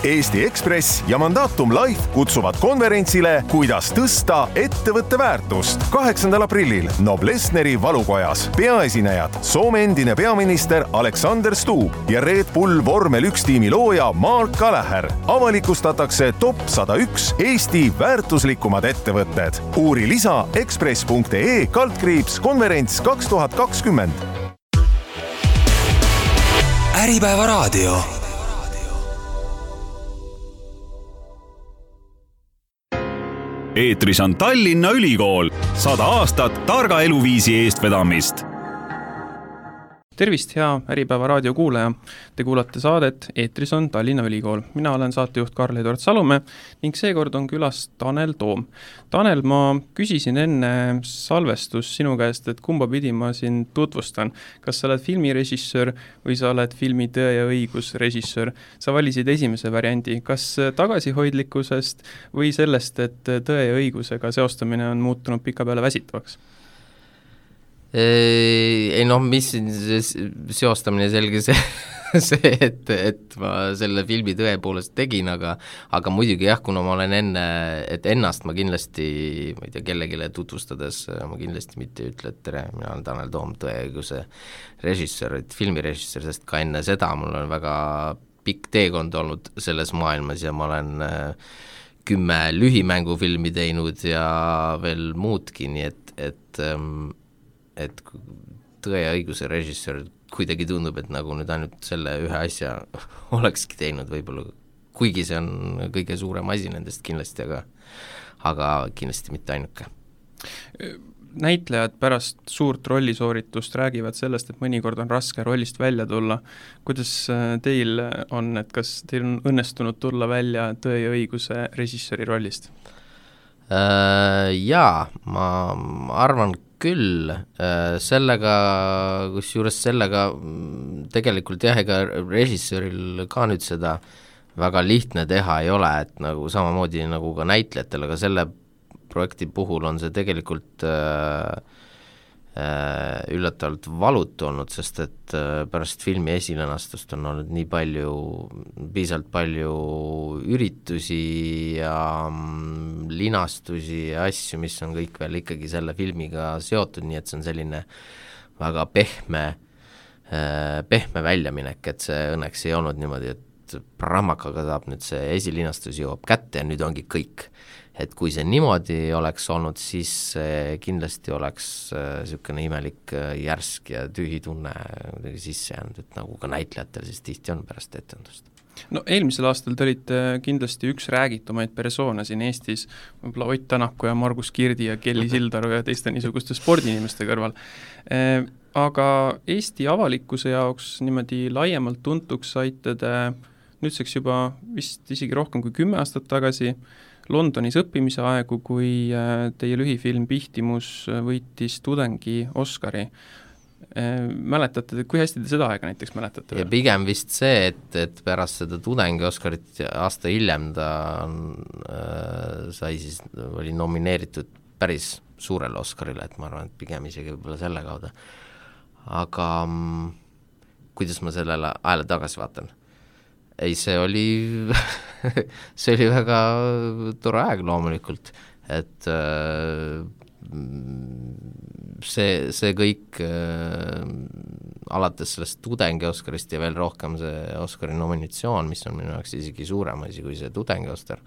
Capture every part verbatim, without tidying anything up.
Eesti Ekspress ja Mandatum Life kutsuvad konverentsile Kuidas tõsta ettevõtte väärtust kaheksandal aprillil Noblessneri valukojas. Peaesinejad Soome endine peaminister Alexander Stubb ja Red Bull vormel üks tiimi looja Mark Gallagher. Avalikustatakse top sada üks Eesti väärtuslikumad ettevõtted. Uuri lisa ekspress punkt ee kaldkriips konverents kaks tuhat kakskümmend. Äripäeva raadio. Eetris on Tallinna Ülikool. Sada aastat targa eluviisi eestvedamist. Tervist, hea Äripäeva raadio kuulaja. Te kuulate saadet Eetris on Tallinna Ülikool. Mina olen saatejuht Karl-Edward Salumäe ning seekord on külas Tanel Toom. Tanel, ma küsisin enne salvestus sinu käest, et kumba pidi ma siin tutvustan. Kas sa oled filmirežissöör või sa oled filmi Tõe ja õigus režissöör? Sa valisid esimese variandi. Kas tagasihoidlikkusest või sellest, et tõe ja õigusega seostamine on muutunud pika peale väsitavaks? Ei noh, mis seostamine selge see, see et, et ma selle filmi tõepoolest tegin, aga, aga muidugi jah, kuna ma olen enne, et ennast ma kindlasti, ma ei tea, kellegile tutvustades, ma kindlasti mitte ütle, et tere, mina olen Tanel Toom, tõeõiguse režissöör, et filmirežissöör, sest ka enne seda mul on väga pikk teekond olnud selles maailmas ja ma olen kümme lühimängufilmi teinud ja veel muudki, nii et, et et tõe ja õiguse režissöör kuidagi tundub, et nagu nüüd ainult selle ühe asja olekski teinud võib-olla, kuigi see on kõige suurem asi nendest kindlasti, aga, aga kindlasti mitte ainuke. Näitlejad pärast suurt rollisooritust räägivad sellest, et mõnikord on raske rollist välja tulla. Kuidas teil on, et kas teil on õnnestunud tulla välja tõe ja õiguse režissööri rollist? Äh, jaa, ma arvan küll, sellega, kus juures sellega tegelikult jah, ega režissööril ka nüüd seda väga lihtne teha ei ole, et nagu samamoodi nagu ka näitlejatel, aga selle projekti puhul on see tegelikult äh, üllatavalt valutu olnud, sest et pärast filmi esilenastust on olnud nii palju, piisavalt palju üritusi ja linastusi ja asju, mis on kõik veel ikkagi selle filmiga seotud, nii et see on selline väga pehme, pehme väljaminek, et see õnneks ei olnud niimoodi, et prammakaga saab nüüd see esilinastus jõuab kätte ja nüüd ongi kõik. Et kui see niimoodi oleks olnud, siis kindlasti oleks niisugune imelik järsk ja tühi tunne sisse jäänud, et nagu ka näitlejatel siis tihti on pärast etendust. No eelmisel aastal te olite kindlasti üks räägitumaid persoone siin Eestis, võib-olla Ott Tänaku ja Margus Kirdi ja Kelly Sildaru ja teiste niisuguste spordiinimeste kõrval. Aga Eesti avalikkuse jaoks niimoodi laiemalt tuntuks saite te nüüdseks juba vist isegi rohkem kui kümme aastat tagasi Londonis õppimise aegu, kui teie lühifilm Pihtimus võitis tudengi Oscari. Mäletate, kui hästi te seda aega näiteks mäletate? Ja pigem vist see, et, et pärast seda tudengi Oscarit aasta hiljem ta äh, sai siis, oli nomineeritud päris suurele Oscarile, et ma arvan, et pigem isegi võib-olla selle kaudu. Aga m, kuidas ma sellele ajale tagasi vaatan? Ei, see oli see oli väga tore aeg loomulikult, et äh, see, see kõik äh, alates sellest tudengi Oscarist ja veel rohkem see Oscari nominatsioon, mis on minu jaoks isegi suurem asi kui see tudengi Oscar,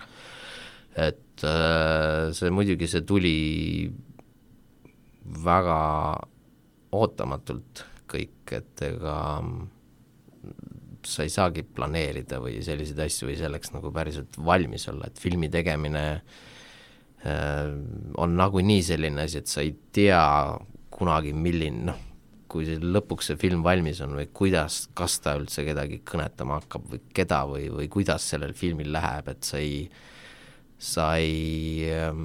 et äh, see muidugi see tuli väga ootamatult kõik, et ega sa ei saagi planeerida või selliseid asju või selleks nagu päriselt valmis olla, et filmi tegemine äh, on nagu nii selline asi, et sa ei tea kunagi milline, noh, kui see lõpuks see film valmis on või kuidas, kas ta üldse kedagi kõnetama hakkab või keda või, või kuidas sellel filmil läheb, et sa ei, sa ei äh,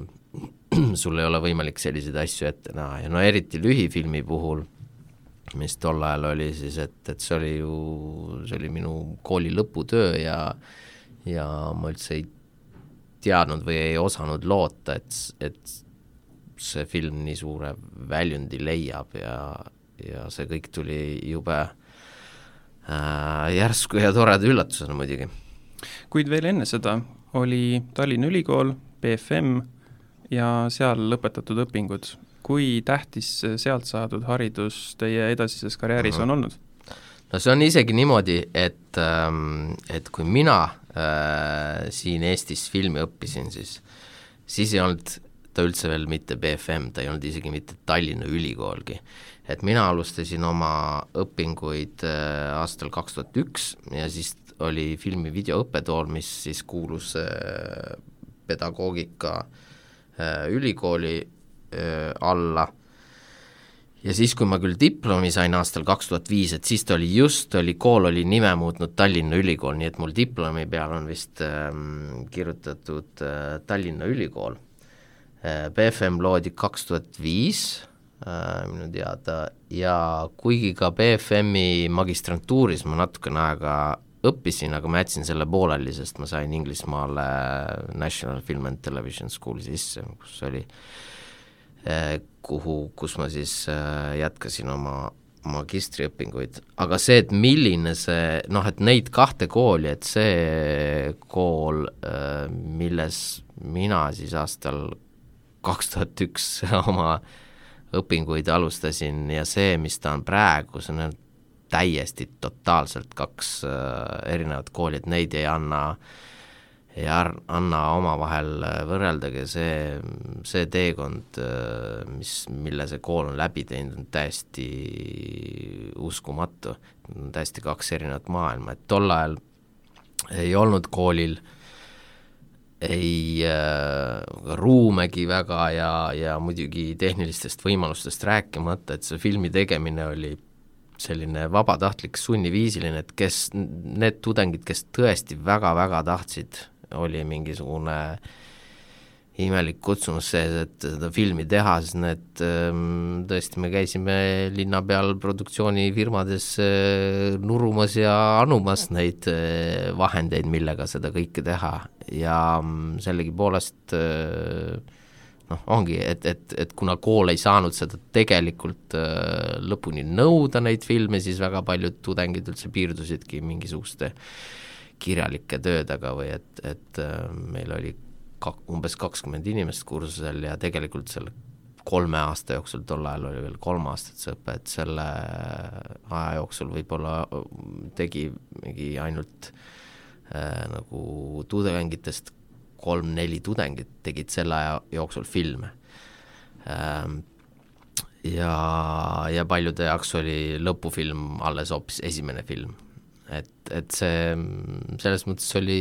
sul ei ole võimalik selliseid asju ette näha ja no eriti lühifilmi puhul, mis tol ajal oli siis, et, et see oli ju, see oli minu kooli lõputöö ja, ja ma üldse ei teadnud või ei osanud loota, et, et see film nii suure väljundi leiab ja, ja see kõik tuli jube äh, järsku ja toreda üllatusena muidugi. Kuid veel enne seda oli Tallinna Ülikool, B F M ja seal lõpetatud õpingud. Kui tähtis sealt saadud haridus teie edasises karjääris on olnud? No see on isegi niimoodi, et, et kui mina äh, siin Eestis filmi õppisin, siis, siis ei olnud ta üldse veel mitte B F M, ta ei olnud isegi mitte Tallinna Ülikoolgi. Et mina alustasin oma õpinguid äh, aastal kaks tuhat üks ja siis oli filmi videoõppetool, mis siis kuulus äh, pedagoogika äh, ülikooli äh, alla. Ja siis, kui ma küll diplomi sain aastal kaks tuhat viis, et siis ta oli just, oli kool oli nime muutnud Tallinna Ülikool, nii et mul diplomi peal on vist ähm, kirjutatud äh, Tallinna Ülikool. Äh, B F M loodi kaks tuhat viis äh, minu teada ja kuigi ka B F M-i magistrantuuris ma natukene aega õppisin, aga ma jätsin selle pooleli, sest ma sain Inglismaale National Film and Television School sisse, kus oli kuhu, kus ma siis jätkasin oma magistriõpinguid, aga see, et milline see, noh, et neid kahte kooli, et see kool, milles mina siis aastal kaks tuhat üks oma õpinguid alustasin ja see, mis ta on praegu, see on täiesti totaalselt kaks erinevat kooli, et neid ei anna ei anna oma vahel võrreldagi, see, see teekond, mis, mille see kool on läbi teinud, on täiesti uskumatu, täiesti kaks erinevat maailma, et tol ajal ei olnud koolil ei äh, ruumegi väga ja, ja muidugi tehnilistest võimalustest rääkimata, et see filmi tegemine oli selline vabatahtlik sunniviisiline, et kes, need tudengid, kes tõesti väga-väga tahtsid, oli mingisugune imelik kutsumus sees, et seda filmi teha, siis need tõesti me käisime linna peal produktsioonifirmades nurumas ja anumas neid vahendeid, millega seda kõike teha ja sellegi poolest noh, ongi, et, et, et kuna kool ei saanud seda tegelikult lõpuni nõuda neid filme, siis väga paljud tudengid üldse piirdusidki mingisuguste kirjalike töödega või et, et meil oli kak, umbes kakskümmend inimest kursusel ja tegelikult selle kolme aasta jooksul, tol ajal oli veel kolm aastat see õpe, et selle aja jooksul võib-olla tegi mingi ainult äh, nagu tudengitest kolm-neli tudengit tegid selle aja jooksul filme. Ähm, ja, ja paljude jaoks oli lõpufilm alles hoopis esimene film. Et, et see, selles mõttes oli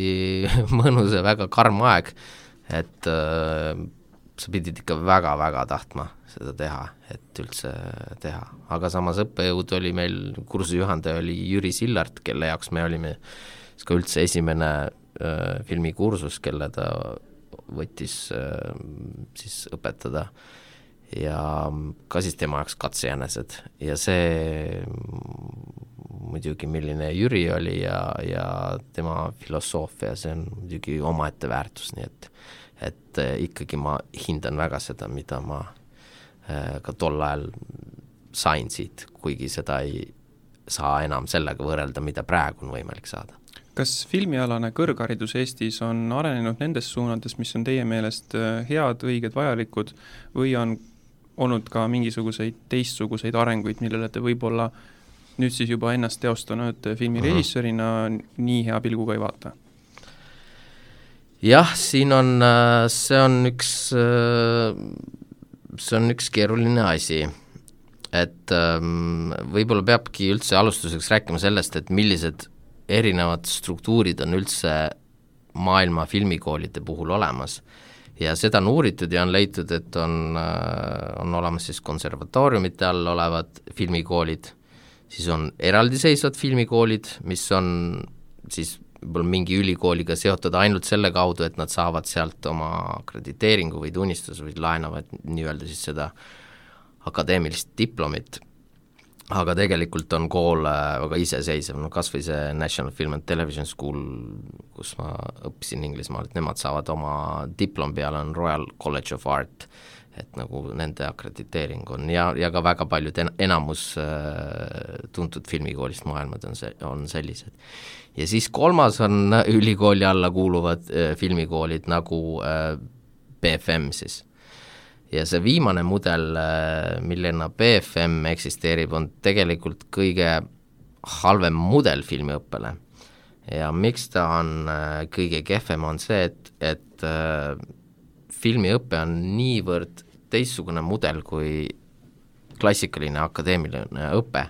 mõnus ja väga karm aeg, et äh, sa pidid ikka väga-väga tahtma seda teha, et üldse teha. Aga samas õppejõud oli meil, kursujuhendaja oli Jüri Sillart, kelle jaoks me olime ka üldse esimene äh, filmikursus, kelle ta võttis äh, siis õpetada ja ka siis tema jaoks katsejänesed ja see muidugi milline Jüri oli ja, ja tema filosoofia, see on muidugi omaette väärtus, nii et, et ikkagi ma hindan väga seda, mida ma äh, ka tol ajal sain siit, kuigi seda ei saa enam sellega võrrelda, mida praegu on võimalik saada. Kas filmialane kõrgharidus Eestis on arenenud nendes suunades, mis on teie meelest head, õiged, vajalikud või on olnud ka mingisuguseid teistsuguseid arenguid, millele te võib-olla nüüd siis juba ennast teostanud filmirežissöörina nii hea pilguga ei vaata? Jah, siin on, see on üks, see on üks keeruline asi, et võib-olla peabki üldse alustuseks rääkima sellest, et millised erinevad struktuurid on üldse maailma filmikoolide puhul olemas. Ja seda on uuritud ja on leitud, et on, on olemas siis konservatooriumite all olevad filmikoolid, siis on eraldiseisvad filmikoolid, mis on siis mingi ülikooliga seotud ainult selle kaudu, et nad saavad sealt oma akrediteeringu või tunnistuse või laenavad nii-öelda siis seda akadeemilist diplomit. Aga tegelikult on kool väga iseseisev, no kas või see National Film and Television School, kus ma õppisin Inglismaal, et nemad saavad oma diplom peale, on Royal College of Art, et nagu nende akrediteering on ja, ja ka väga paljud en, enamus äh, tuntud filmikoolist maailmad on, see, on sellised. Ja siis kolmas on ülikooli alla kuuluvad äh, filmikoolid nagu äh, B F M siis. Ja see viimane mudel, äh, millena B F M eksisteerib, on tegelikult kõige halvem mudel filmiõppele. Ja miks ta on äh, kõige kehvem on see, et, et äh, filmiõpe on niivõrd teistsugune mudel kui klassikaline akadeemiline õpe.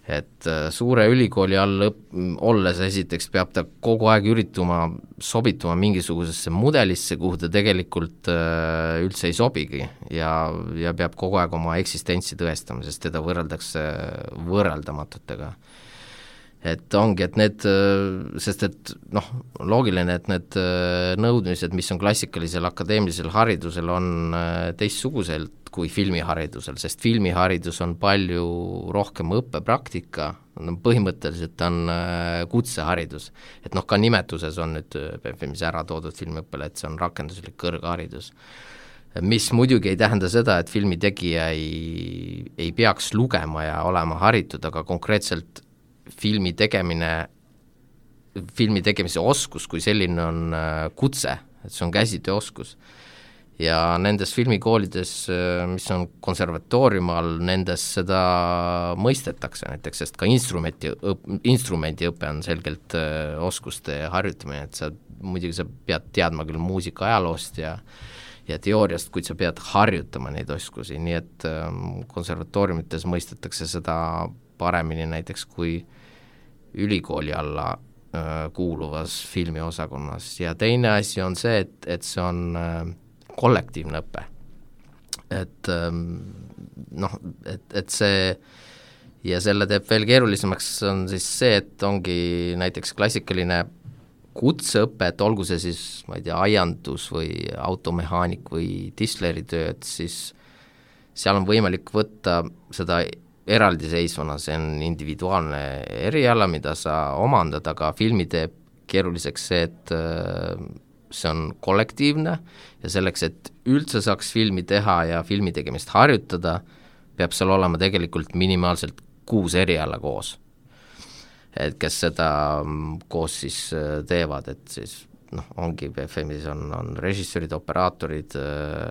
Et suure ülikooli all õp- olles esiteks peab ta kogu aeg ürituma sobituma mingisugusesse mudelisse, kuhu ta tegelikult äh, üldse ei sobigi ja, ja peab kogu aeg oma eksistentsi tõestama, sest teda võrreldakse võrreldamatutega. Et ongi, et need, sest et noh, loogiline, et need nõudmised, mis on klassikalisel akadeemilisel haridusel, on teistsuguselt kui filmiharidusel, sest filmiharidus on palju rohkem õppepraktika, põhimõtteliselt on kutseharidus. Et noh, ka nimetuses on nüüd B F M-is ära toodud filmiõppele, et see on rakenduslik kõrgharidus. Mis muidugi ei tähenda seda, et filmitegija ei, ei peaks lugema ja olema haritud, aga konkreetselt filmi tegemine, filmi tegemise oskus kui selline on kutse, et see on käsitööoskus. Ja nendes filmikoolides, mis on konservatooriumi all, nendes seda mõistetakse näiteks, sest ka instrumenti, instrumendi õpe on selgelt oskuste harjutamine, et sa muidugi sa pead teadma küll muusika ajaloost ja ja teooriast, kuid sa pead harjutama neid oskusi, nii et konservatooriumites mõistetakse seda paremini näiteks kui ülikooli alla äh, kuuluvas filmiosakonnas. Ja teine asi on see, et, et see on äh, kollektiivne õpe. Et ähm, noh, et, et see ja selle teeb veel keerulisemaks on siis see, et ongi näiteks klassikaline kutseõpe, et olgu see siis, ma ei tea, aiandus või automehaanik või disleritöö, et siis seal on võimalik võtta seda eraldiseisvana, see on individuaalne eriala, mida sa omandad, aga filmi teeb keeruliseks see, et see on kollektiivne ja selleks, et üldse saaks filmi teha ja filmi tegemist harjutada, peab seal olema tegelikult minimaalselt kuus eriala koos. Et kes seda koos siis teevad, et siis noh, ongi B F M-is on, on režissöörid, operaatorid,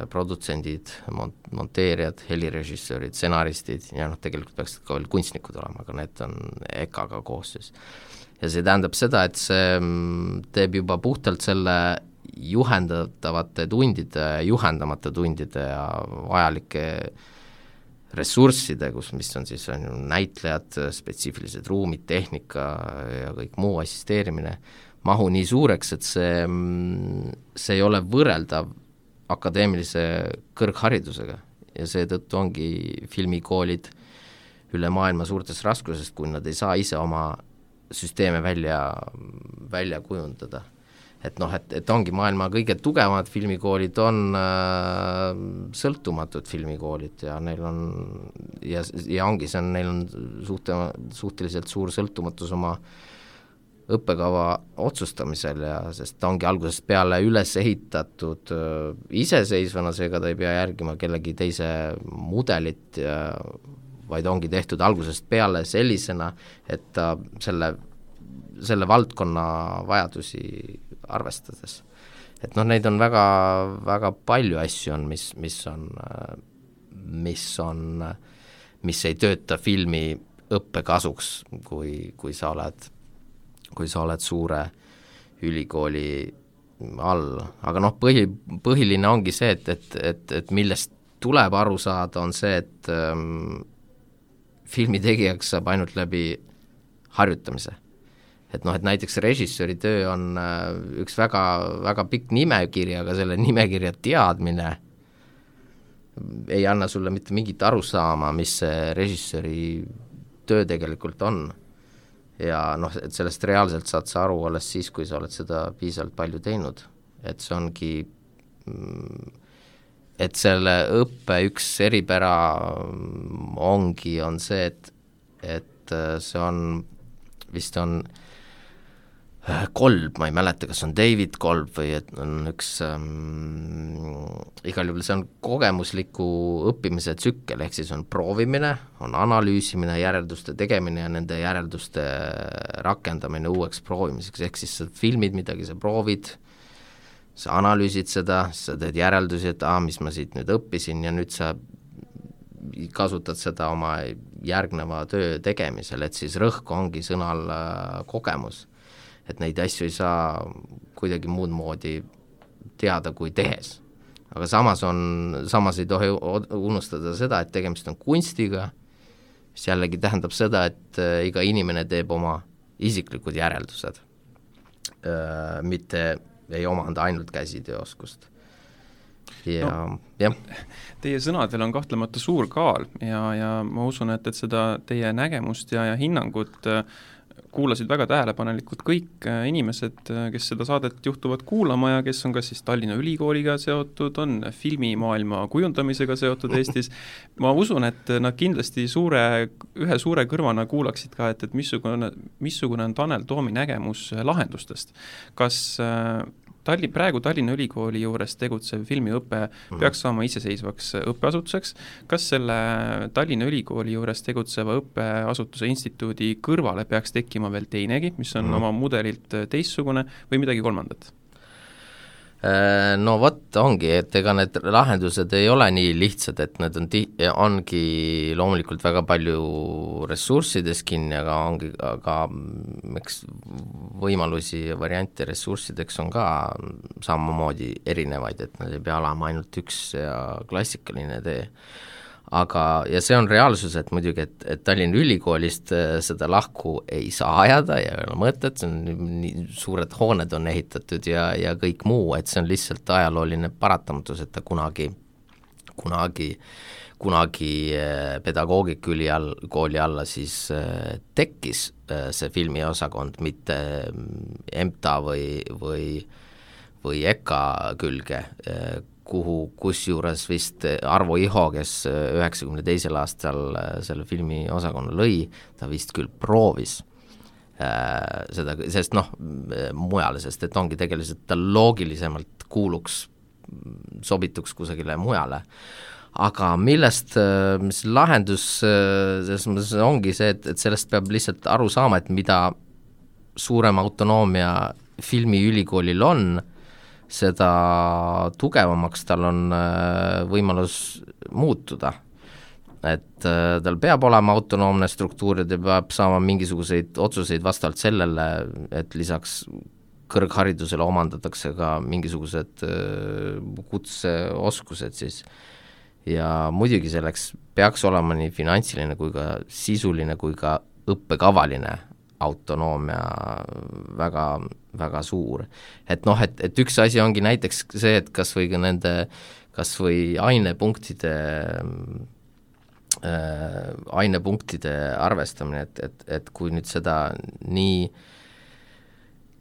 produtsendid, mont-, monteerijad, helirežissöörid, stsenaristid ja noh, tegelikult peaks ka veel kunstnikud olema, aga need on E K A-ga koos siis. Ja see tähendab seda, et see teeb juba puhtalt selle juhendatavate tundide, juhendamata tundide ja vajalike ressursside, kus, mis on siis on näitlejad, spetsiifilised ruumid, tehnika ja kõik muu assisteerimine, mahu nii suureks, et see, see ei ole võrreldav akadeemilise kõrgharidusega ja seetõttu ongi filmikoolid üle maailma suurtes raskusest, kui nad ei saa ise oma süsteeme välja, välja kujundada. Et noh, et, et ongi maailma kõige tugevamad filmikoolid on äh, sõltumatud filmikoolid ja neil on ja, ja ongi see on, neil on suhte, suhteliselt suur sõltumatus oma õppekava otsustamisel ja sest ta ongi algusest peale üles ehitatud äh, iseseisvana, seega ta ei pea järgima kellegi teise mudelit ja vaid ongi tehtud algusest peale sellisena, et ta selle, selle valdkonna vajadusi arvestades. Et noh, neid on väga, väga palju asju on, mis, mis on, mis on, mis ei tööta filmi õppekasuks, kui, kui sa oled, kui sa oled suure ülikooli all. Aga noh, põhi, põhiline ongi see, et, et, et, et millest tuleb aru saada, on see, et ähm, filmitegijaks saab ainult läbi harjutamise. Et noh, et näiteks režissööri töö on äh, üks väga, väga pikk nimekiri, aga selle nimekirja teadmine ei anna sulle mitte mingit arusaama, mis see režissööri töö tegelikult on. Ja noh, et sellest reaalselt saad sa aru alles siis, kui sa oled seda piisavalt palju teinud. Et see ongi mm, et selle õppe üks eripära ongi, on see, et, et see on, vist on Kolb, ma ei mäleta, kas on David Kolb või et on üks ähm, igal juhul see on kogemusliku õppimise tsükkel, ehk siis on proovimine, on analüüsimine, järelduste tegemine ja nende järelduste rakendamine uueks proovimiseks, ehk siis sa filmid midagi, sa proovid, sa analüüsid seda, sa teed järeldusi, et aa, mis ma siit nüüd õppisin ja nüüd sa kasutad seda oma järgneva töö tegemisel, et siis rõhk ongi sõnal kogemus. Et neid asju ei saa kuidagi muud moodi teada kui tehes. Aga samas on, samas ei tohi unustada seda, et tegemist on kunstiga, mis jällegi tähendab seda, et iga inimene teeb oma isiklikud järeldused, mitte ei omanda ainult käsitööoskust. Ja, no, jah. Teie sõnadel on kahtlemata suur kaal ja, ja ma usun, et, et seda teie nägemust ja, ja hinnangut kuulasid väga tähelepanelikult kõik inimesed, kes seda saadet juhtuvad kuulama ja kes on kas siis Tallinna Ülikooliga seotud, on filmimaailma kujundamisega seotud Eestis. Ma usun, et nad kindlasti suure, ühe suure kõrvana kuulaksid ka, et, et missugune, missugune on Tanel Toomi nägemus lahendustest. Kas Talli, praegu Tallinna Ülikooli juures tegutsev filmiõpe peaks saama iseseisvaks õppeasutuseks. Kas selle Tallinna Ülikooli juures tegutseva õppeasutuse instituudi kõrvale peaks tekkima veel teinegi, mis on mm. oma mudelilt teistsugune või midagi kolmandat? No vot, ongi, et ega need lahendused ei ole nii lihtsad, et need on ti- ongi loomulikult väga palju ressurssides kinni, aga ongi aga eks võimalusi ja variante ressurssideks on ka samamoodi erinevaid, et nad ei pea olema ainult üks ja klassikaline tee. Aga, ja see on reaalsus, et muidugi, et, et Tallinna Ülikoolist seda lahku ei saa ajada ja ei ole mõtet, see on nii suured hooned on ehitatud ja, ja kõik muu, et see on lihtsalt ajalooline paratamatus, et ta kunagi, kunagi, kunagi pedagoogikaüli all, kooli alla siis tekkis see filmiosakond, mitte M T A või, või, või E K A külge, kuhu, kusjuures vist Arvo Iho, kes üheksakümne teisel aastal selle filmi osakonna lõi, ta vist küll proovis äh, seda, sest noh, mujale, sest et ongi tegelikult ta loogilisemalt kuuluks, sobituks kusagile mujale. Aga millest, mis lahendus selles mõttes ongi see, et, et sellest peab lihtsalt aru saama, et mida suurem autonoomia filmiülikoolil on, seda tugevamaks tal on võimalus muutuda. Et tal peab olema autonoomne struktuur ja ta peab saama mingisuguseid otsuseid vastavalt sellele, et lisaks kõrgharidusele omandatakse ka mingisugused kutseoskused siis. Ja muidugi selleks peaks olema nii finantsiline kui ka sisuline kui ka õppekavaline autonoomia väga, väga suur. Et noh, et, et üks asi ongi näiteks see, et kas või nende, kas või ainepunktide äh, ainepunktide arvestamine, et, et, et kui nüüd seda nii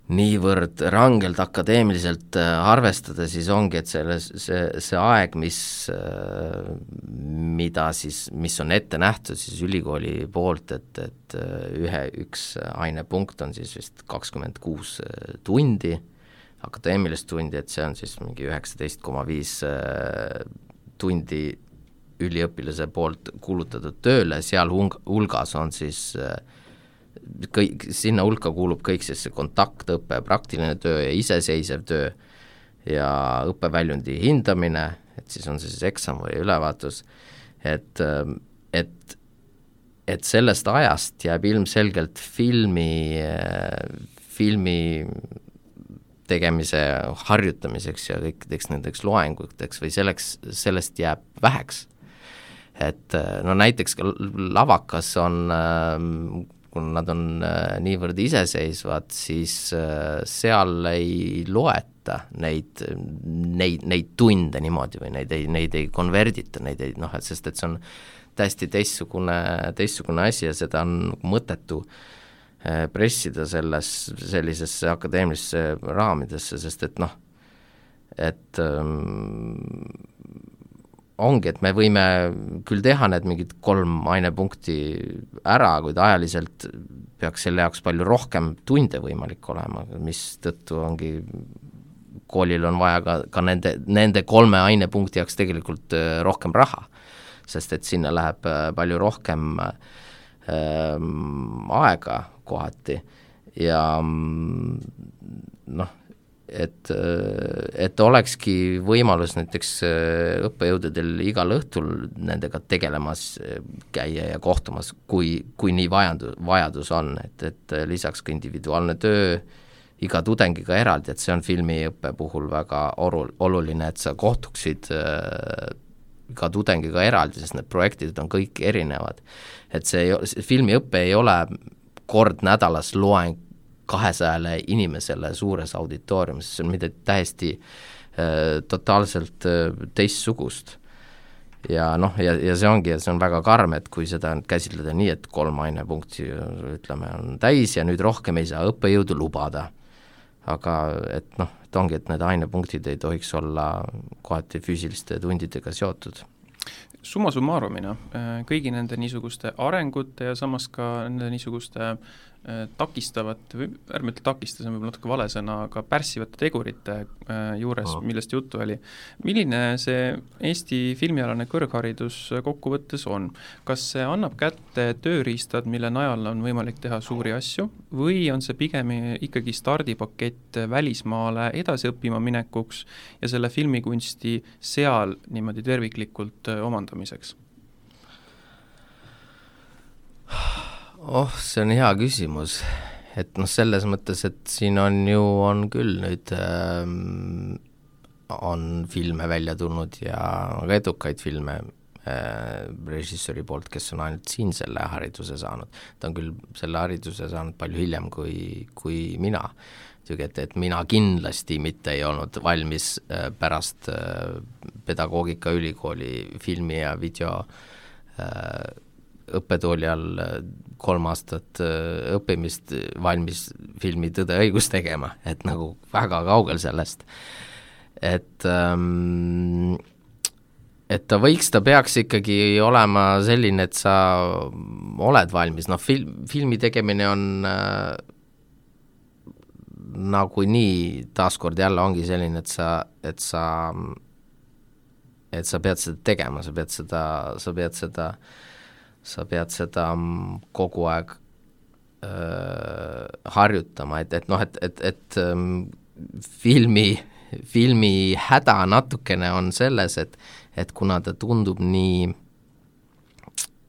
niivõrd rangelt akadeemiliselt arvestada, siis ongi, et selle, see, see aeg, mis, mida siis, mis on ette nähtud siis ülikooli poolt, et, et ühe, üks ainepunkt on siis vist kakskümmend kuus tundi, akadeemilist tundi, et see on siis mingi üheksateist koma viis tundi üliõpilase poolt kulutatud tööle, seal hulgas on siis kõik, sinna hulka kuulub kõik siis see kontaktõpe, praktiline töö ja iseseisev töö ja õppeväljundi hindamine, et siis on see siis eksam või ülevaatus, et, et, et sellest ajast jääb ilmselgelt filmi, filmi tegemise harjutamiseks ja kõikideks nendeks loenguteks või selleks, sellest jääb väheks. Et no näiteks lavakas on kui nad on niivõrd iseseisvad, siis seal ei loeta neid, neid, neid tunde niimoodi või neid ei, neid ei konverdita, neid ei, noh, et sest et see on täiesti teistsugune, teistsugune asi ja seda on mõttetu pressida selles, sellisesse akadeemilisse raamidesse, sest et noh, et ongi, et me võime küll teha need mingid kolm ainepunkti ära, kuid ajaliselt peaks selle jaoks palju rohkem tunde võimalik olema, mis tõttu ongi, koolil on vaja ka, ka nende, nende kolme ainepunkti jaoks tegelikult rohkem raha, sest et sinna läheb palju rohkem ähm, aega kohati ja noh, et, et olekski võimalus näiteks õppejõududel igal õhtul nendega tegelemas käia ja kohtumas, kui, kui nii vajadus, vajadus on, et, et lisaks ka individuaalne töö iga tudengiga eraldi, et see on filmiõppe puhul väga oru, oluline, et sa kohtuksid äh, iga tudengiga eraldi, sest need projektid on kõik erinevad. Et see, see filmiõppe ei ole kord nädalas loeng kahesajale inimesele suures auditooriumis, see on midagi täiesti äh, totaalselt äh, teistsugust. Ja noh, ja, ja see ongi, see on väga karm, et kui seda käsitleda nii, et kolm ainepunkti ütleme on täis ja nüüd rohkem ei saa õppejõudu lubada. Aga et noh, et ongi, et need ainepunktid ei tohiks olla kohati füüsiliste tundidega seotud. Summa summarumina kõigi nende niisuguste arengute ja samas ka nende niisuguste takistavat, või ärme ütle takistas, on võib-olla natuke vale sõna, aga pärssivate tegurite juures, oh. millest juttu oli. Milline see Eesti filmialane kõrgharidus kokkuvõttes on? Kas see annab kätte tööriistad, mille najal on võimalik teha suuri asju, või on see pigem ikkagi stardipakett välismaale edasi õppima minekuks ja selle filmikunsti seal niimoodi terviklikult omandamiseks? Oh, see on hea küsimus, et noh, selles mõttes, et siin on ju, on küll nüüd ähm, on filme välja tulnud ja väga edukaid filme äh, režissööri poolt, kes on ainult siin selle hariduse saanud. Ta on küll selle hariduse saanud palju hiljem kui, kui mina. Et, et mina kindlasti mitte ei olnud valmis äh, pärast äh, pedagoogikaülikooli filmi ja video äh, õppetooli all kolm aastat õppimist valmis filmi Tõde õigus tegema, et nagu väga kaugel sellest. Et, ähm, et ta võiks, ta peaks ikkagi olema selline, et sa oled valmis, noh film, filmi tegemine on äh, nagu nii, taaskord jälle ongi selline, et sa, et sa et sa pead seda tegema, sa pead seda, sa pead seda sa pead seda kogu aeg äh, harjutama, et, et noh, et, et, et ähm, filmi, filmi häda natukene on selles, et, et kuna ta tundub nii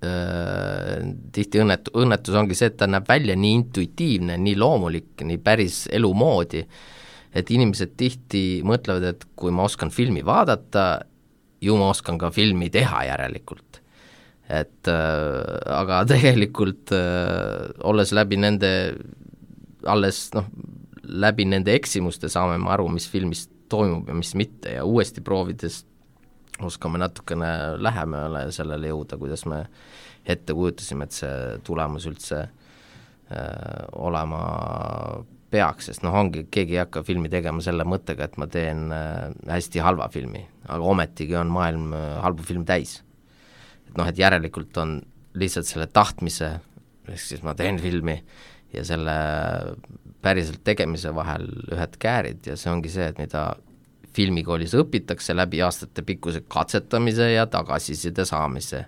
äh, tihti õnnetu, õnnetus ongi see, et ta näeb välja nii intuitiivne, nii loomulik, nii päris elu moodi, et inimesed tihti mõtlevad, et kui ma oskan filmi vaadata, ju ma oskan ka filmi teha järelikult. Et äh, aga tegelikult äh, olles läbi nende alles noh, läbi nende eksimuste saame me aru, mis filmis toimub ja mis mitte ja uuesti proovides oskame natukene lähemale sellele jõuda, kuidas me ette kujutasime, et see tulemus üldse äh, olema peaks, sest noh, ongi, keegi ei hakka filmi tegema selle mõttega, et ma teen äh, hästi halva filmi, aga ometigi on maailm äh, halbu film täis. Et noh, et järelikult on lihtsalt selle tahtmise, ehk siis ma teen filmi ja selle päriselt tegemise vahel ühed käärid ja see ongi see, et mida filmikoolis õpitakse läbi aastate pikkuse katsetamise ja tagasiside saamise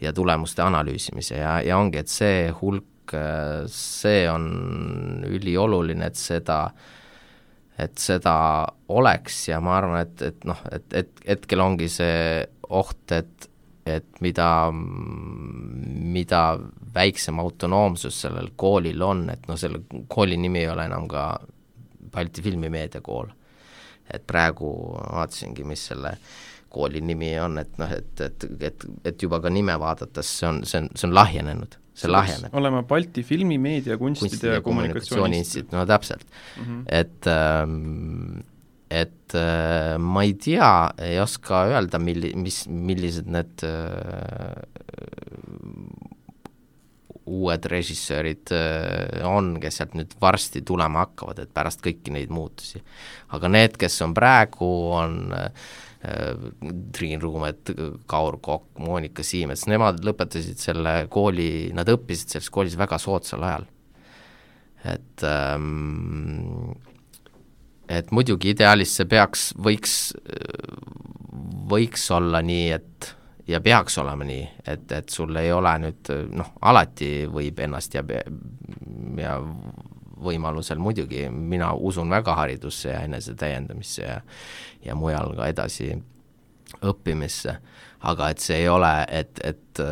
ja tulemuste analüüsimise ja, ja ongi, et see hulk, see on ülioluline, et seda, et seda oleks ja ma arvan, et, et noh, et, et hetkel ongi see oht, et et mida, mida väiksem autonoomsus sellel koolil on, et noh, selle kooli nimi ei ole enam ka Balti filmimeediakool. Et praegu vaatasingi, mis selle kooli nimi on, et noh, et, et, et, et juba ka nime vaadates see on, see on, see on lahjenenud. See lahjeneb. Olema Balti filmimeedia, kunstide ja kommunikatsiooni instituut. No täpselt. Mm-hmm. Et ähm, et äh, ma ei tea, ei oska öelda, milli, mis, millised need äh, uued režissöörid on, kes sealt nüüd varsti tulema hakkavad, et pärast kõiki neid muutusi. Aga need, kes on praegu, on Triin Ruumet, Kaur Kokk, Monika Siimets, nemad lõpetasid selle kooli, nad õppisid selles koolis väga soodsal ajal. Et, ähm, et muidugi ideaalis see peaks, võiks, võiks olla nii, et ja peaks olema nii, et, et sul ei ole nüüd, noh, alati võib ennast ja, ja võimalusel muidugi, mina usun väga haridusse ja enese täiendamisse ja, ja mujal ka edasi õppimisse, aga et see ei ole, et, et,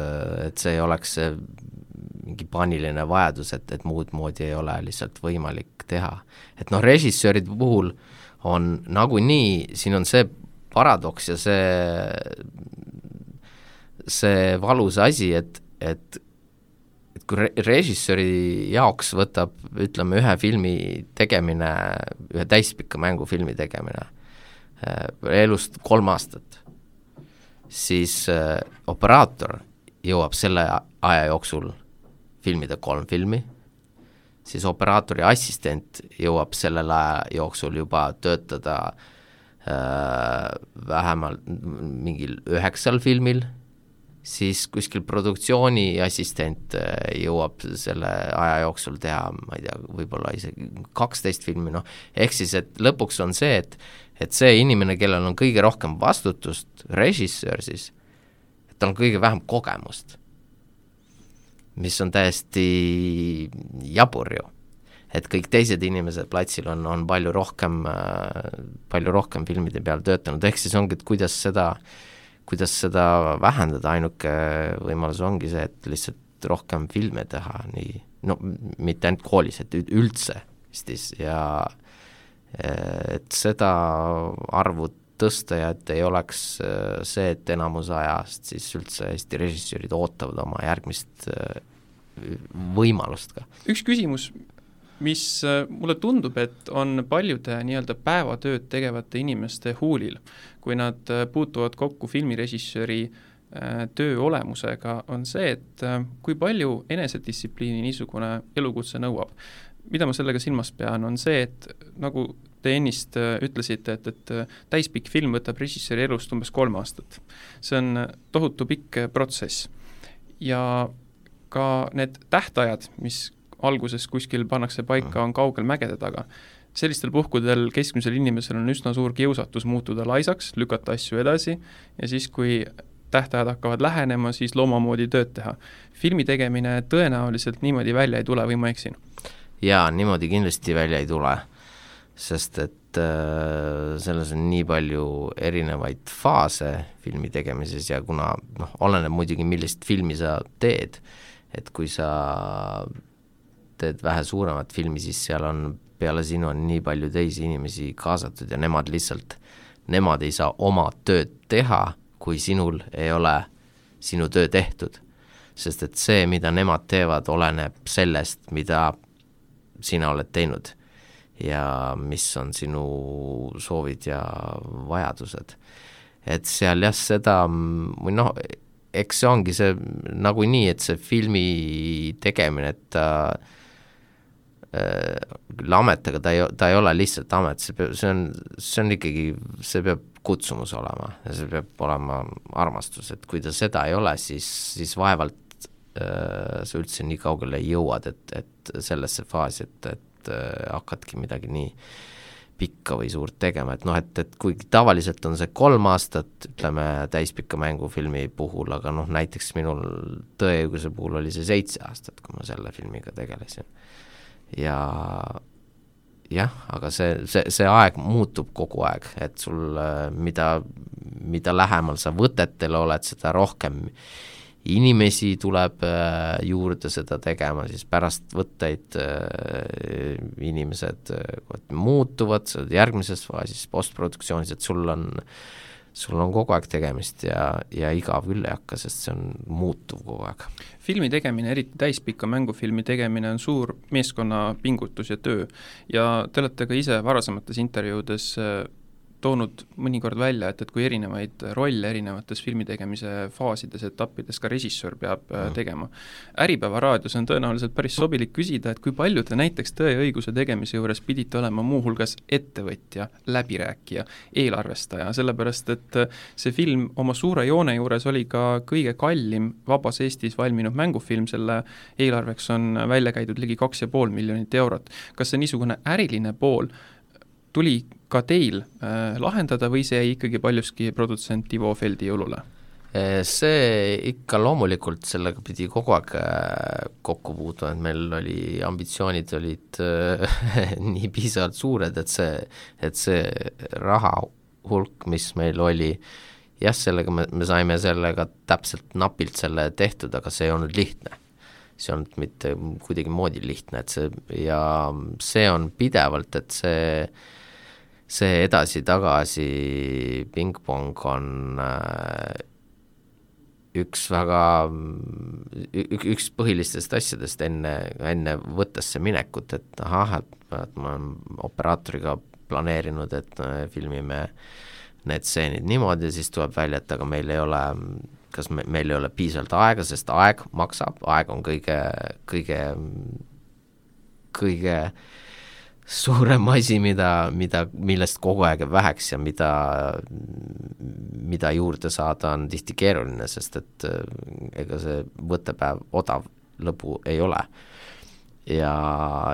et see ei oleks see mingi paaniline vajadus, et, et muud moodi ei ole lihtsalt võimalik teha. Et noh, režissööride puhul on nagu nii, siin on see paradoks ja see see valus asi, et, et, et kui re- režissööri jaoks võtab, ütleme, ühe filmi tegemine, ühe täispika mängufilmi tegemine äh, elust kolm aastat, siis äh, operaator jõuab selle aja jooksul filmida kolm filmi, siis operaatori assistent jõuab sellel aja jooksul juba töötada äh, vähemalt mingil üheksal filmil, siis kuskil produktsiooni assistent jõuab selle aja jooksul teha, ma ei tea, võib-olla isegi kaksteist filmi, noh, ehk siis, et lõpuks on see, et, et see inimene, kellel on kõige rohkem vastutust, režissöör siis, et tal on kõige vähem kogemust, mis on täiesti jabur ju, et kõik teised inimesed platsil on, on palju rohkem, palju rohkem filmide peal töötanud, ehk siis ongi, et kuidas seda kuidas seda vähendada, ainuke võimalus ongi see, et lihtsalt rohkem filme teha, nii, no mitte ainult koolis, et üldse Eestis ja et seda arvu tõsta ja et ei oleks see, et enamus ajast siis üldse Eesti režissöörid ootavad oma järgmist võimalust ka. Üks küsimus, mis mulle tundub, et on paljude nii-öelda päevatööd tegevate inimeste huulil, kui nad puutuvad kokku filmirežissööri töö olemusega, on see, et kui palju enesedistsipliini niisugune elukutse nõuab. Mida ma sellega silmas pean, on see, et nagu te ennist ütlesite, et, et täispikk film võtab režissööri elust umbes kolm aastat. See on tohutu pikk protsess. Ja ka need tähtajad, mis alguses kuskil pannakse paika, on kaugel mägede taga. Sellistel puhkudel keskmisel inimesel on üsna suur kiusatus muutuda laisaks, lükata asju edasi ja siis, kui tähtajad hakkavad lähenema, siis loomamoodi tööd teha. Filmi tegemine tõenäoliselt niimoodi välja ei tule või ma eksin? Jaa, niimoodi kindlasti välja ei tule, sest et äh, selles on nii palju erinevaid faase filmi tegemises ja kuna noh, oleneb muidugi, millist filmi sa teed, et kui sa teed vähe suuremat filmi, siis seal on peale sinu on nii palju teisi inimesi kaasatud ja nemad lihtsalt, nemad ei saa oma tööd teha, kui sinul ei ole sinu töö tehtud. Sest et see, mida nemad teevad, oleneb sellest, mida sina oled teinud ja mis on sinu soovid ja vajadused. Et seal jah, seda, või noh, eks see ongi see nagu nii, et see filmi tegemine, et ta küll amet, aga ta ei, ta ei ole lihtsalt amet, see, peab, see, on, see on ikkagi, see peab kutsumus olema ja see peab olema armastus, et kui ta seda ei ole, siis, siis vaevalt äh, sa üldse nii kaugele jõuad, et, et sellesse faasi, et, et äh, hakkadki midagi nii pikka või suurt tegema, et noh, et, et kui tavaliselt on see kolm aastat, ütleme täispikka mängufilmi puhul, aga noh, näiteks minul Tõeõiguse puhul oli see seitse aastat, kui ma selle filmiga tegelesin. Ja jah, aga see, see, see aeg muutub kogu aeg, et sul mida, mida lähemal sa võtetele oled, seda rohkem inimesi tuleb juurde seda tegema, siis pärast võtteid inimesed muutuvad järgmises faasis postproduktsioonis, et sul on, sul on kogu aeg tegemist ja, ja igav küll ei hakka, sest see on muutuv kogu aeg. Filmi tegemine, eriti täispika mängufilmi tegemine on suur meeskonna pingutus ja töö ja te olete ka ise varasemates intervjuudes toonud mõnikord välja, et, et kui erinevaid rolle erinevates filmi tegemise faasides, etappides ka režissöör peab mm. tegema. Äripäeva raadios on tõenäoliselt päris sobilik küsida, et kui palju te näiteks Tõe ja õiguse tegemise juures pidite olema muuhulgas ettevõtja, läbirääkija, eelarvestaja, sellepärast et see film oma suure joone juures oli ka kõige kallim vabas Eestis valminud mängufilm, selle eelarveks on välja käidud ligi kaks ja pool miljonit eurot. Kas see niisugune äriline pool tuli ka teil äh, lahendada või see jäi ikkagi paljuski produtsent Ivo Feldi jõulule? See ikka loomulikult sellega pidi kogu aeg kokku puutuma, et meil oli, ambitsioonid olid äh, nii piisavalt suured, et see, et see raha hulk, mis meil oli, jah, sellega me, me saime sellega täpselt napilt selle tehtud, aga see ei olnud lihtne. See on mitte kuidagi moodi lihtne, et see, ja see on pidevalt, et see see edasi-tagasi pingpong on üks väga, üks põhilistest asjadest enne, enne võttesse minekut, et ahah, et ma olen operaatoriga planeerinud, et filmime need stseenid niimoodi, siis tuleb välja, et aga meil ei ole, kas me, meil ei ole piisavalt aega, sest aeg maksab, aeg on kõige, kõige, kõige suurem asi, mida, mida, millest kogu aeg väheks ja mida, mida juurde saada on tihti keeruline, sest et ega see võttepäev odav lõbu ei ole. Ja,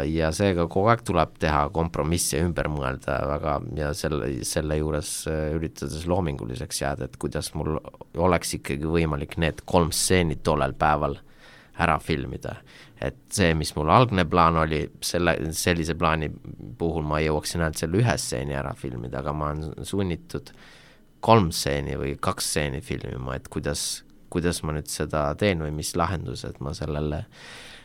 ja seega kogu aeg tuleb teha kompromisse ümber mõelda väga ja selle, selle juures üritades loominguliseks jääda, et kuidas mul oleks ikkagi võimalik need kolm stseeni tollel päeval ära filmida. Et see, mis mul algne plaan oli, selle, sellise plaani puhul ma jõuaksin ainult selle ühe stseeni ära filmida, aga ma olen sunnitud kolm stseeni või kaks stseeni filmima, et kuidas, kuidas ma nüüd seda teen või mis lahendused ma sellele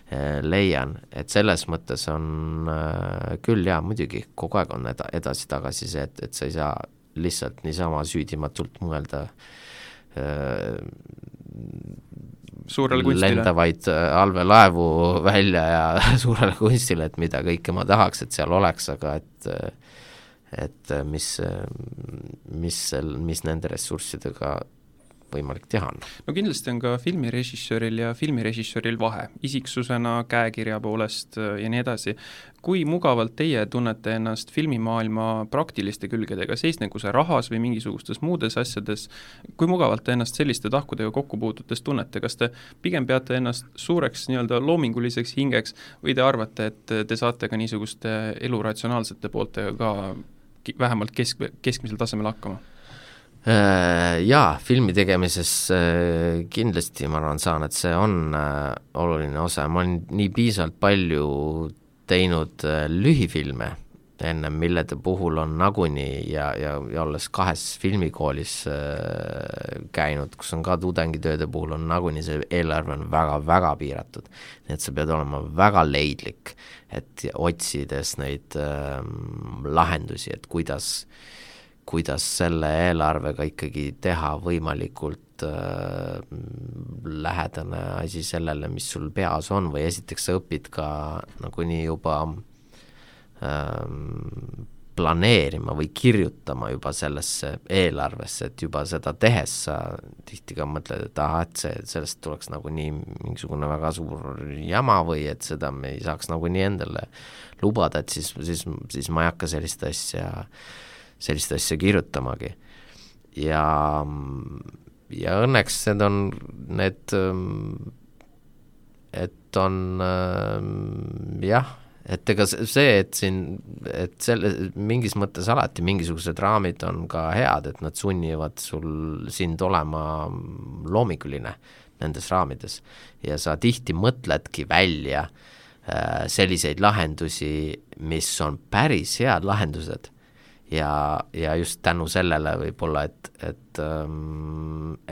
eh, leian. Et selles mõttes on eh, küll ja muidugi kogu aeg on eda, edasi-tagasi see, et, et sa ei saa lihtsalt niisama süüdimatult mõelda eh, suurele kunstile. Lendavaid allveelaevu välja ja suurele kunstile, et mida kõike ma tahaks, et seal oleks, aga et, et mis, mis, mis nende ressurssidega võimalik teha on. No kindlasti on ka filmirežissööril ja filmirežissööril vahe, isiksusena, käekirja poolest ja nii edasi. Kui mugavalt teie tunnete ennast filmimaailma praktiliste külgedega, seisnegu see rahas või mingisugustes muudes asjades, kui mugavalt te ennast selliste tahkudega kokku puututes tunnete, kas te pigem peate ennast suureks nii-öelda loominguliseks hingeks või te arvate, et te saate ka niisuguste eluratsionaalsete pooltega ka vähemalt kesk, keskmisel tasemel hakkama? Jaa, filmi tegemises kindlasti ma arvan saan, et see on oluline osa. Ma olen nii piisavalt palju teinud lühifilme ennem, millede puhul on nagunii ja, ja, ja olles kahes filmikoolis käinud, kus on ka tudengitööde puhul on nagunii see eelarve on väga-väga piiratud. Nii et sa pead olema väga leidlik, et otsides neid ähm, lahendusi, et kuidas kuidas selle eelarvega ikkagi teha võimalikult äh, lähedane asi sellele, mis sul peas on või esiteks sa õpid ka nagu nii juba äh, planeerima või kirjutama juba sellesse eelarvesse, et juba seda tehes sa tihti ka mõtled, et aha, et see, sellest tuleks nagu nii mingisugune väga suur jama või et seda me ei saaks nagu nii endale lubada, et siis, siis, siis ma ei hakka sellist asja sellist asja kirjutamagi. Ja, ja õnneks need on need, et on jah, et ega see, et siin, et selle, mingis mõttes alati mingisugused raamid on ka head, et nad sunnivad sul sind olema loominguline nendes raamides ja sa tihti mõtledki välja selliseid lahendusi, mis on päris head lahendused. Ja, ja just tänu sellele võib-olla, et, et,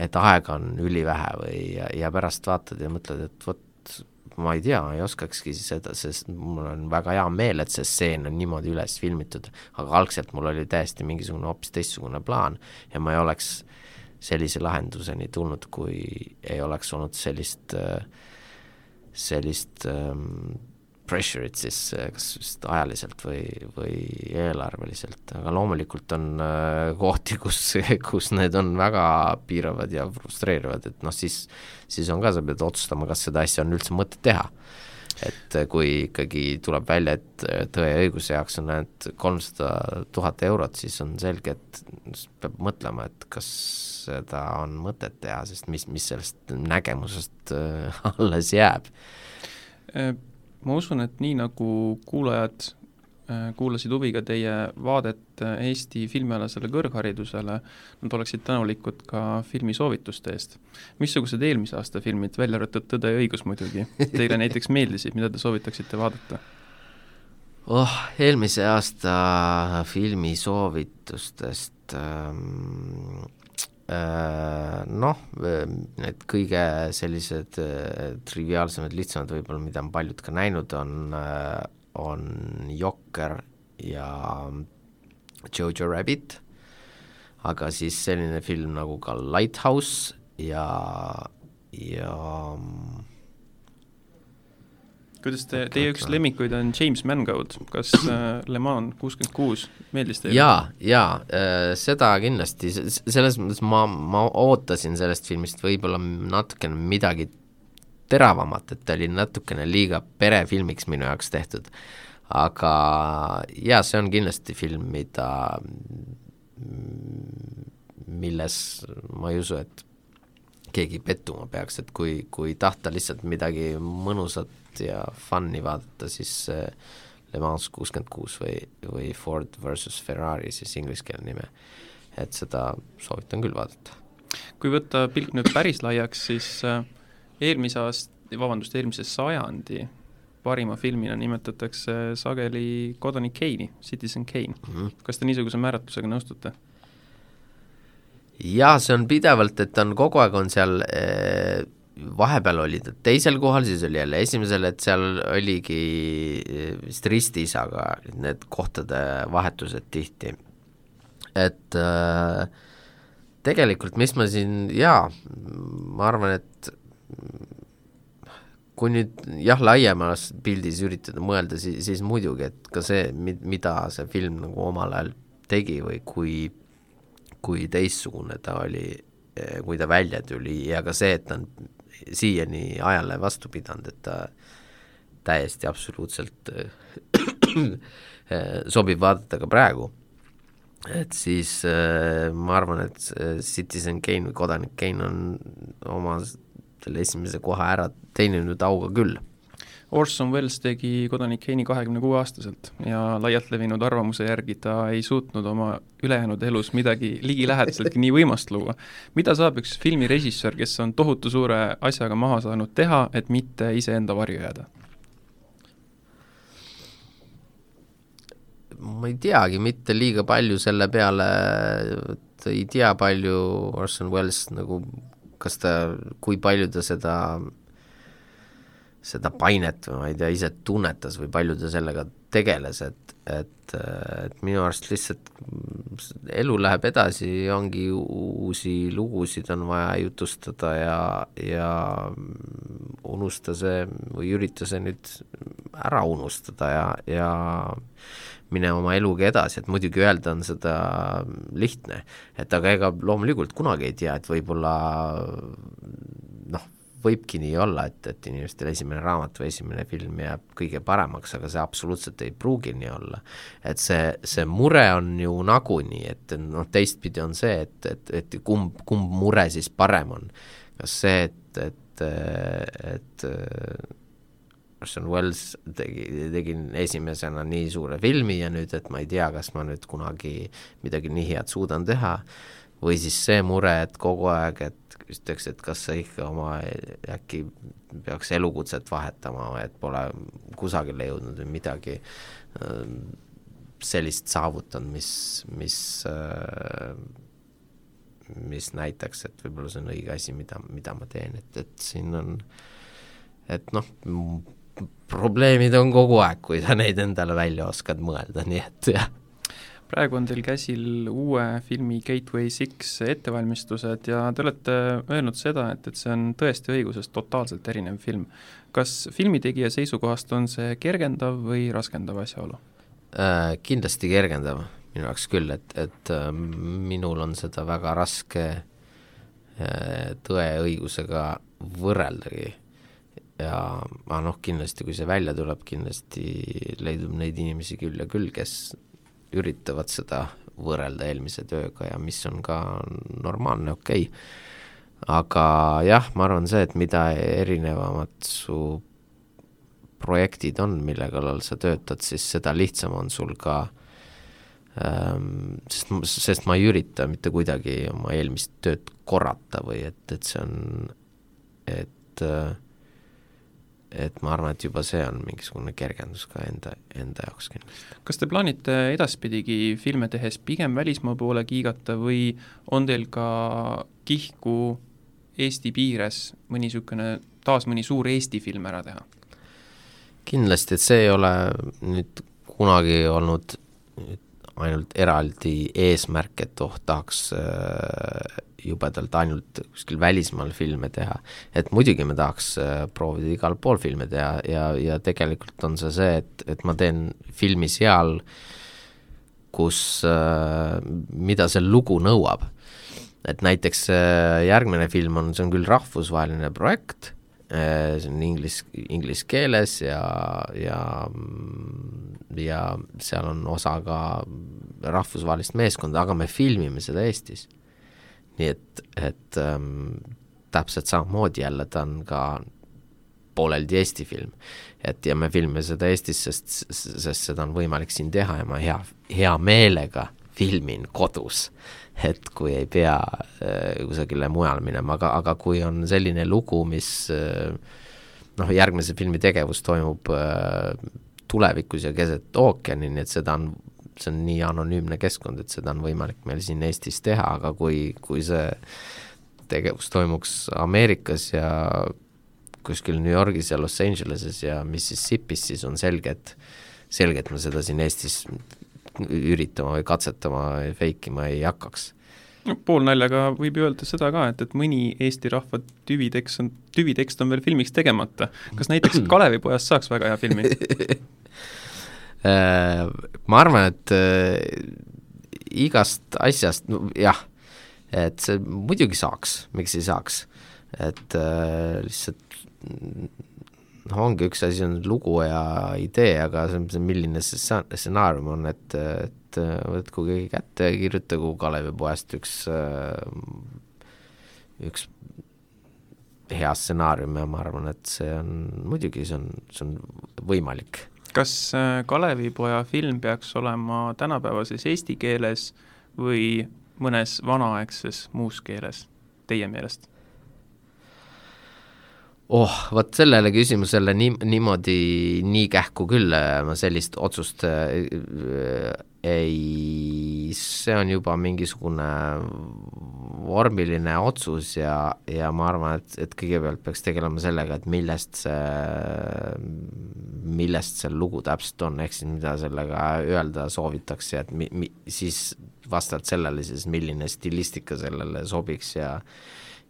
et aega on ülivähe või ja, ja pärast vaatad ja mõtled, et võt, ma ei tea, ei oskakski seda, sest mul on väga hea meel, et see stseen on niimoodi üles filmitud, aga algselt mul oli täiesti mingisugune hoopis teistsugune plaan ja ma ei oleks sellise lahenduseni tulnud, kui ei oleks olnud sellist, sellist ähm, pressure'it siis kas just ajaliselt või, või eelarveliselt, aga loomulikult on äh, kohti, kus, kus need on väga piiravad ja frustreerivad, et noh, siis, siis on ka, sa pead otsustama, kas seda asja on üldse mõtet teha. Et kui ikkagi tuleb välja, et Tõe ja õiguse jaoks on ainult kolmsada tuhat eurot, siis on selge, et peab mõtlema, et kas seda on mõtet teha, sest mis, mis sellest nägemusest alles jääb. Ma usun, et nii nagu kuulajad kuulasid huviga teie vaadet Eesti filmialasele kõrgharidusele, nad oleksid tänulikud ka filmisoovituste eest. Missugused eelmise aasta filmid, välja arvatud Tõde ja õigus muidugi, teile näiteks meeldisid, mida te soovitaksite vaadata? Oh, eelmise aasta filmisoovitustest ähm, äh, noh, need kõige sellised äh, triviaalsemad, lihtsamad võib-olla, mida on paljud ka näinud, on äh, on Jokker ja Jojo Rabbit, aga siis selline film nagu ka Lighthouse ja ja kuidas te, teie üks lemmikuid on James Mangold, kas äh, Le Mans kuuskümmend kuus meeldis teile? Jaa, jaa, äh, seda kindlasti, selles mõttes ma, ma ootasin sellest filmist võib-olla natukene midagi teravamat, et ta oli natukene liiga perefilmiks minu jaoks tehtud, aga jaa, see on kindlasti film, mida milles ma ei usu, et keegi pettuma peaks, et kui, kui tahta lihtsalt midagi mõnusat ja fun'i vaadata, siis Le Mans kuuskümmend kuus või, või Ford versus Ferrari, siis ingliskeelne nime, et seda soovitan küll vaadata. Kui võtta pilk nüüd päris laiaks, siis eelmise aast, vabandust, eelmise sajandi parima filmina nimetatakse sageli Kodanik Kane'i, Citizen Kane. Mm-hmm. Kas te niisuguse määratlusega nõustute? Jaa, see on pidevalt, et on kogu aeg on seal, eh, vahepeal oli ta teisel kohal, siis oli jälle esimesel, et seal oligi vist ristis, aga need kohtade vahetused tihti. Et äh, tegelikult, mis ma siin, jaa, ma arvan, et kui nüüd jah, laiemas pildis üritada mõelda, siis, siis muidugi, et ka see, mida see film nagu omal ajal tegi või kui, kui teistsugune ta oli, kui ta välja tuli ja ka see, et ta on siiani ajale vastu pidanud, et ta täiesti absoluutselt sobib vaadata ka praegu. Et siis ma arvan, et Citizen Kane või Kodanik Kane on oma selle esimese koha ära teeninud auga küll. Orson Welles tegi Kodanik Kane'i kahekümne kuue aastaselt ja laialt levinud arvamuse järgi ta ei suutnud oma ülejäänud elus midagi ligilähedaseltki nii võimast luua. Mida saab üks filmirežissöör, kes on tohutu suure asjaga maha saanud teha, et mitte iseenda varju jääda? Ma ei teagi, mitte liiga palju selle peale, et ei tea palju Orson Welles nagu kas ta, kui palju ta seda, seda painet või ma ei tea, ise tunnetas või palju ta sellega tegeles, et, et, et minu arust lihtsalt elu läheb edasi, ongi uusi lugusid on vaja jutustada ja, ja unusta see või ürita see nüüd ära unustada ja, ja mine oma eluga edasi, et muidugi öelda on seda lihtne, et aga ega loomulikult kunagi ei tea, et võib-olla noh, võibki nii olla, et, et inimestel esimene raamat või esimene film jääb kõige paremaks, aga see absoluutselt ei pruugi nii olla. Et see, see mure on ju nagunii, et noh, teistpidi on see, et, et, et kumb, kumb mure siis parem on. Kas see, et, et, et Orson Welles tegi, tegin esimesena nii suure filmi ja nüüd, et ma ei tea, kas ma nüüd kunagi midagi nii head suudan teha, või siis see mure, et kogu aeg, et ütleks, et kas sa ikka oma äkki peaks elukutset vahetama, et pole kusagile jõudnud või midagi sellist saavutanud, mis, mis, mis näitaks, et võib-olla see on õige asi, mida, mida ma teen, et, et siin on, et noh, probleemid on kogu aeg, kui sa neid endale välja oskad mõelda, nii et jah. praegu on teil käsil uue filmi Gateway Six ettevalmistused ja te olete öelnud seda, et, et see on tõesti õigusest totaalselt erinev film. Kas filmitegija seisukohast on see kergendav või raskendav asjaolu? Äh, kindlasti kergendav minu jaoks küll, et, et äh, minul on seda väga raske äh, tõe õigusega võrreldagi. Ja noh, kindlasti kui see välja tuleb, kindlasti leidub neid inimesi küll ja küll, kes üritavad seda võrrelda eelmise tööga ja mis on ka normaalne, okei okay. Aga jah, ma arvan see, et mida erinevamad su projektid on, mille kallal sa töötad, siis seda lihtsam on sul ka ähm, sest, sest ma ei ürita mitte kuidagi oma eelmist tööd korrata või et, et see on et äh, et ma arvan, et juba see on mingisugune kergendus ka enda, enda jaoks kindlasti. Kas te plaanite edaspidigi filme tehes pigem välismaa poole kiigata või on teil ka kihku Eesti piires mõni sükene, taas mõni suur Eesti film ära teha? Kindlasti, et see ei ole nüüd kunagi olnud ainult eraldi eesmärk, et oh, tahaks äh, jubedalt ainult kuskil välismaal filme teha. Et muidugi me tahaks äh, proovida igal pool filme teha ja, ja tegelikult on see see, et, et ma teen filmi seal, kus äh, mida see lugu nõuab. Et näiteks äh, järgmine film on, see on küll rahvusvaheline projekt, äh, see on inglis, inglis keeles ja, ja, ja seal on osa ka rahvusvahelist meeskonda, aga me filmime seda Eestis. Nii et, et ähm, täpselt samamoodi jälle ta on ka pooleldi Eesti film. Et ja me filmime seda Eestis, sest, sest seda on võimalik siin teha ja ma hea, hea meelega filmin kodus, et kui ei pea äh, kusagile mujal minema, aga, aga kui on selline lugu, mis äh, noh, järgmise filmi tegevus toimub äh, tulevikus ja keset ookeani, nii et seda on see on nii anonüümne keskkond, et seda on võimalik meil siin Eestis teha, aga kui, kui see tegevus toimuks Ameerikas ja kuskil New Yorgis ja Los Angeleses ja Mississippis, siis on selge, et selge, et me seda siin Eestis üritama või katsetama ja feikima ei hakkaks. No, pool naljaga võib öelda seda ka, et, et mõni Eesti rahva tüvitekst on, tüvitekst on veel filmiks tegemata. Kas näiteks Kalevipojast saaks väga hea filmi? Ma arvan, et igast asjast, no, jah, et see muidugi saaks, miks ei saaks, et lihtsalt no, ongi üks asi on lugu ja idee, aga see, see milline see stsenaarium on, et, et võtku keegi kätte ja kirjutagu Kalevipojast üks, üks hea stsenaarium ja ma arvan, et see on muidugi, see on, see on võimalik. Kas Kalevipoja film peaks olema tänapäevases eesti keeles või mõnes vanaaegses muus keeles teie meelest? Oh, võt sellele küsimusele nii, niimoodi nii kähku küll ma sellist otsust ei, see on juba mingisugune vormiline otsus ja, ja ma arvan, et, et kõigepealt peaks tegelema sellega, et millest see, millest see lugu täpselt on, ehk siis mida sellega öelda soovitakse, et mi, mi, siis vastavalt sellele siis milline stilistika sellele sobiks ja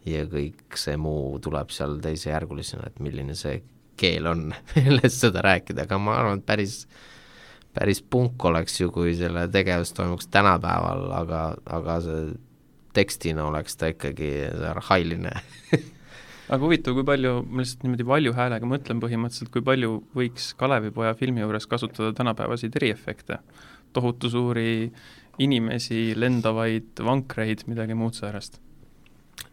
ja kõik see muu tuleb seal teise järgulisena, et milline see keel on, millest seda rääkida, aga ma arvan, et päris, päris punk oleks ju, kui selle tegevus toimuks tänapäeval, aga, aga see tekstina oleks ta ikkagi arhailine. Aga huvitav, kui palju, ma lihtsalt niimoodi valju häälega mõtlen põhimõtteliselt, kui palju võiks Kalevipoja filmi juures kasutada tänapäevasid eriefekte, tohutu suuri inimesi, lendavaid vankreid, midagi muud säärast.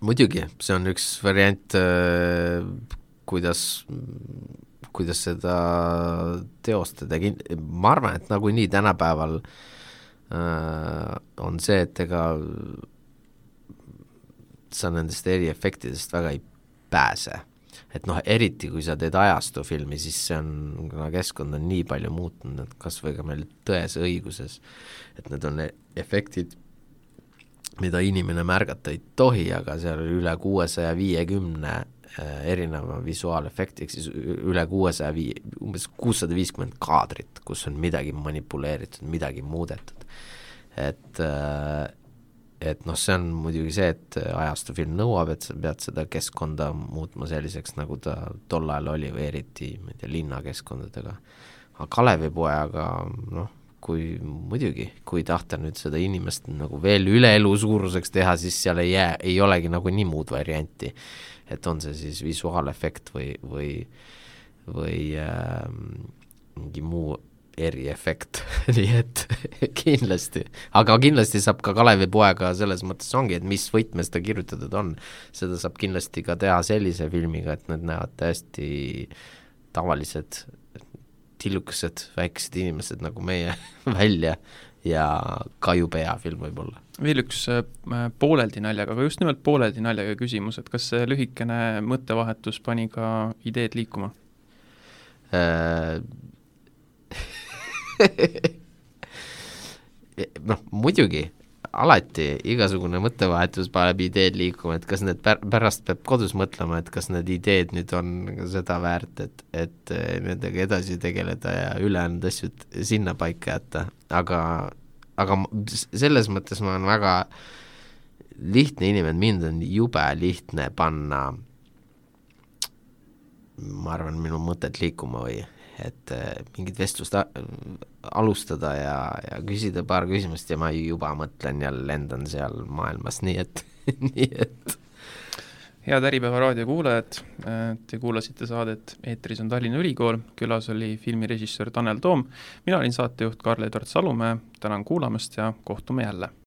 Muidugi, see on üks variant, kuidas, kuidas seda teostada. Ma arvan, et nagu nii tänapäeval on see, et ega sa nendest eriefektidest väga ei pääse. Et noh, eriti kui sa teed ajastufilmi, siis see on, kuna keskkond on nii palju muutunud, et kas või ka meil tões õiguses, et need on efektid, mida inimene märgata ei tohi, aga seal üle kuuesaja viiekümne erineva visuaalefekti, siis üle kuuesaja viie, umbes kuussada viiskümmend kaadrit, kus on midagi manipuleeritud, midagi muudetud. et et noh, see on muidugi see, et ajastufilm nõuab, et sa pead seda keskkonda muutma selliseks, nagu ta tol ajal oli või eriti, ma ei tea, linnakeskkondadega. Aga Kalevipojaga, noh, kui muidugi, kui tahta nüüd seda inimest nagu veel üle elu suuruseks teha, siis seal ei jää, ei olegi nagu nii muud varianti, et on see siis visuaalefekt või, või, või äh, mingi muu eriefekt, nii et kindlasti, aga kindlasti saab ka Kalevipoega selles mõttes ongi, et mis võtmes ta kirjutatud on, seda saab kindlasti ka teha sellise filmiga, et need näevad täiesti tavalised tillukesed, väiksed inimesed nagu meie välja ja ka jube hea film võib-olla. Veel üks pooleldi naljaga, aga just nimelt pooleldi naljaga küsimus, et kas see lühikene mõttevahetus pani ka ideed liikuma? noh, muidugi, alati igasugune mõttevahetus paneb ideed liikuma, et kas need pär- pärast peab kodus mõtlema, et kas need ideed nüüd on seda väärt, et, et nendega edasi tegeleda ja ülejäänud asjad sinna paika jätta, aga, aga selles mõttes ma olen väga lihtne inimene, mind on jube lihtne panna, ma arvan, minu mõtet liikuma või et mingit vestlust alustada ja, ja küsida paar küsimust ja ma juba mõtlen ja lendan seal maailmas, nii et, nii et. Head Äripäeva raadio kuulajad, te kuulasite saadet Eetris on Tallinna Ülikool, külas oli filmirežissöör Tanel Toom, mina olin saatejuht Karl-Edvard Salumäe, tänan kuulamast ja kohtume jälle.